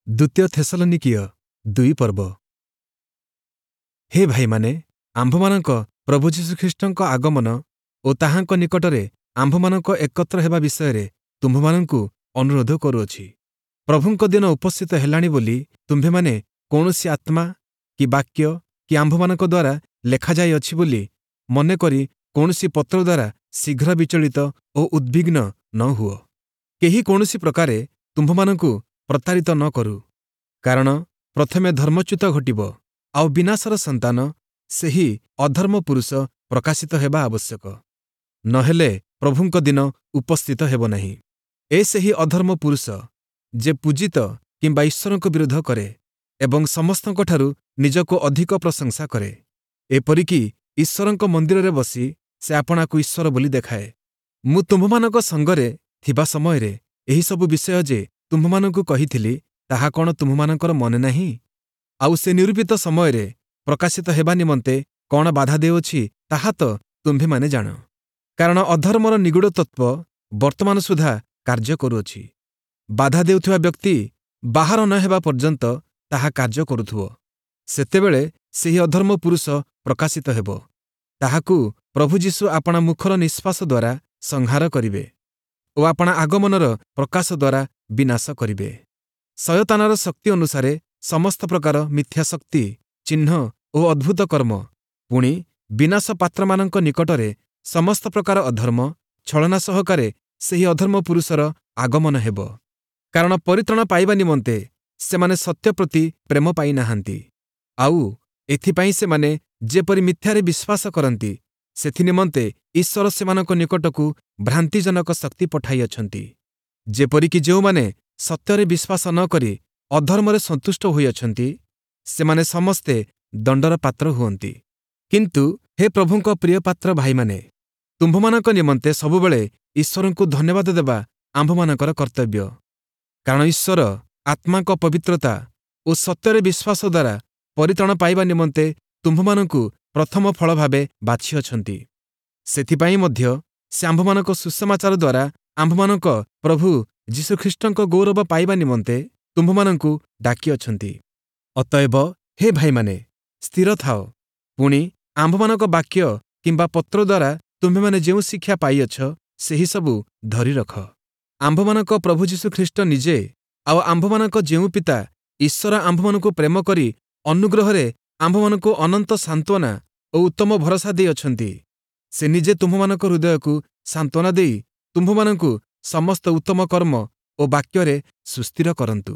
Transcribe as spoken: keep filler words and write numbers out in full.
ଦ୍ୱିତୀୟ ଥେସଲନୀକୀୟ ଦୁଇ ପର୍ବ। ହେ ଭାଇମାନେ, ଆମ୍ଭମାନଙ୍କ ପ୍ରଭୁ ଯୀଶୁଖ୍ରୀଷ୍ଟଙ୍କ ଆଗମନ ଓ ତାହାଙ୍କ ନିକଟରେ ଆମ୍ଭମାନଙ୍କ ଏକତ୍ର ହେବା ବିଷୟରେ ତୁମ୍ଭମାନଙ୍କୁ ଅନୁରୋଧ କରୁଅଛି। ପ୍ରଭୁଙ୍କ ଦିନ ଉପସ୍ଥିତ ହେଲାଣି ବୋଲି ତୁମ୍ଭେମାନେ କୌଣସି ଆତ୍ମା କି ବାକ୍ୟ କି ଆମ୍ଭମାନଙ୍କ ଦ୍ୱାରା ଲେଖାଯାଇଅଛି ବୋଲି ମନେକରି କୌଣସି ପତ୍ର ଦ୍ୱାରା ଶୀଘ୍ର ବିଚଳିତ ଓ ଉଦ୍ବିଗ୍ନ ନ ହୁଅ। କେହି କୌଣସି ପ୍ରକାରେ ତୁମ୍ଭମାନଙ୍କୁ ପ୍ରତାରିତ ନ କରୁ। କାରଣ ପ୍ରଥମେ ଧର୍ମଚ୍ୟୁତ ଘଟିବ, ଆଉ ବିନାଶର ସନ୍ତାନ ସେହି ଅଧର୍ମ ପୁରୁଷ ପ୍ରକାଶିତ ହେବା ଆବଶ୍ୟକ। ନ ହେଲେ ପ୍ରଭୁଙ୍କ ଦିନ ଉପସ୍ଥିତ ହେବ ନାହିଁ। ଏ ସେହି ଅଧର୍ମ ପୁରୁଷ, ଯେ ପୂଜିତ କିମ୍ବା ଈଶ୍ୱରଙ୍କ ବିରୋଧ କରେ ଏବଂ ସମସ୍ତଙ୍କଠାରୁ ନିଜକୁ ଅଧିକ ପ୍ରଶଂସା କରେ। ଏପରିକି ଈଶ୍ୱରଙ୍କ ମନ୍ଦିରରେ ବସି ସେ ଆପଣାକୁ ଈଶ୍ୱର ବୋଲି ଦେଖାଏ। ମୁଁ ତୁମ୍ଭମାନଙ୍କ ସଙ୍ଗରେ ଥିବା ସମୟରେ ଏହିସବୁ ବିଷୟ ଯେ ତୁମ୍ଭମାନଙ୍କୁ କହିଥିଲି, ତାହା କ'ଣ ତୁମ୍ଭମାନଙ୍କର ମନେ ନାହିଁ? ଆଉ ସେ ନିରୂପିତ ସମୟରେ ପ୍ରକାଶିତ ହେବା ନିମନ୍ତେ କ'ଣ ବାଧା ଦେଉଅଛି, ତାହା ତ ତୁମ୍ଭେମାନେ ଜାଣ। କାରଣ ଅଧର୍ମର ନିଗୂଢ଼ ତତ୍ତ୍ୱ ବର୍ତ୍ତମାନ ସୁଦ୍ଧା କାର୍ଯ୍ୟ କରୁଅଛି। ବାଧା ଦେଉଥିବା ବ୍ୟକ୍ତି ବାହାର ନ ହେବା ପର୍ଯ୍ୟନ୍ତ ତାହା କାର୍ଯ୍ୟ କରୁଥିବ। ସେତେବେଳେ ସେହି ଅଧର୍ମ ପୁରୁଷ ପ୍ରକାଶିତ ହେବ। ତାହାକୁ ପ୍ରଭୁ ଯୀଶୁ ଆପଣା ମୁଖର ନିଶ୍ୱାସ ଦ୍ୱାରା ସଂହାର କରିବେ ଓ ଆପଣା ଆଗମନର ପ୍ରକାଶ ଦ୍ୱାରା ବିନାଶ କରିବେ। ଶୟତାନର ଶକ୍ତି ଅନୁସାରେ ସମସ୍ତ ପ୍ରକାର ମିଥ୍ୟା ଶକ୍ତି, ଚିହ୍ନ ଓ ଅଦ୍ଭୁତ କର୍ମ, ପୁଣି ବିନାଶ ପାତ୍ରମାନଙ୍କ ନିକଟରେ ସମସ୍ତ ପ୍ରକାର ଅଧର୍ମ, ଛଳନା ସହକାରେ ସେହି ଅଧର୍ମ ପୁରୁଷର ଆଗମନ ହେବ। କାରଣ ପରିତ୍ରାଣ ପାଇବା ନିମନ୍ତେ ସେମାନେ ସତ୍ୟ ପ୍ରତି ପ୍ରେମ ପାଇନାହାନ୍ତି। ଆଉ ଏଥିପାଇଁ ସେମାନେ ଯେପରି ମିଥ୍ୟାରେ ବିଶ୍ୱାସ କରନ୍ତି, ସେଥିନିମନ୍ତେ ଈଶ୍ୱର ସେମାନଙ୍କ ନିକଟକୁ ଭ୍ରାନ୍ତିଜନକ ଶକ୍ତି ପଠାଇଅଛନ୍ତି। ଯେପରିକି ଯେଉଁମାନେ ସତ୍ୟରେ ବିଶ୍ୱାସ ନ କରି ଅଧର୍ମରେ ସନ୍ତୁଷ୍ଟ ହୋଇଅଛନ୍ତି, ସେମାନେ ସମସ୍ତେ ଦଣ୍ଡର ପାତ୍ର ହୁଅନ୍ତି। କିନ୍ତୁ ହେ ପ୍ରଭୁଙ୍କ ପ୍ରିୟପାତ୍ର ଭାଇମାନେ, ତୁମ୍ଭମାନଙ୍କ ନିମନ୍ତେ ସବୁବେଳେ ଈଶ୍ୱରଙ୍କୁ ଧନ୍ୟବାଦ ଦେବା ଆମ୍ଭମାନଙ୍କର କର୍ତ୍ତବ୍ୟ। କାରଣ ଈଶ୍ୱର ଆତ୍ମାଙ୍କ ପବିତ୍ରତା ଓ ସତ୍ୟରେ ବିଶ୍ୱାସ ଦ୍ୱାରା ପରିତ୍ରାଣ ପାଇବା ନିମନ୍ତେ ତୁମ୍ଭମାନଙ୍କୁ ପ୍ରଥମ ଫଳ ଭାବେ ବାଛିଅଛନ୍ତି। ସେଥିପାଇଁ ମଧ୍ୟ ସେ ଆମ୍ଭମାନଙ୍କ ସୁସମାଚାର ଦ୍ୱାରା ଆମ୍ଭମାନଙ୍କ ପ୍ରଭୁ ଯୀଶୁଖ୍ରୀଷ୍ଟଙ୍କ ଗୌରବ ପାଇବା ନିମନ୍ତେ ତୁମ୍ଭମାନଙ୍କୁ ଡାକିଅଛନ୍ତି। ଅତଏବ ହେ ଭାଇମାନେ, ସ୍ଥିର ଥାଅ। ପୁଣି ଆମ୍ଭମାନଙ୍କ ବାକ୍ୟ କିମ୍ବା ପତ୍ର ଦ୍ୱାରା ତୁମ୍ଭେମାନେ ଯେଉଁ ଶିକ୍ଷା ପାଇଅଛ, ସେହିସବୁ ଧରି ରଖ। ଆମ୍ଭମାନଙ୍କ ପ୍ରଭୁ ଯୀଶୁଖ୍ରୀଷ୍ଟ ନିଜେ ଆଉ ଆମ୍ଭମାନଙ୍କ ଯେଉଁ ପିତା ଈଶ୍ୱର ଆମ୍ଭମାନଙ୍କୁ ପ୍ରେମ କରି ଅନୁଗ୍ରହରେ ଆମ୍ଭମାନଙ୍କୁ ଅନନ୍ତ ସାନ୍ତ୍ୱନା ଓ ଉତ୍ତମ ଭରସା ଦେଇଅଛନ୍ତି, ସେ ନିଜେ ତୁମ୍ଭମାନଙ୍କ ହୃଦୟକୁ ସାନ୍ତ୍ୱନା ଦେଇ ତୁମ୍ଭମାନଙ୍କୁ ସମସ୍ତ ଉତ୍ତମ କର୍ମ ଓ ବାକ୍ୟରେ ସୁସ୍ଥିର କରନ୍ତୁ।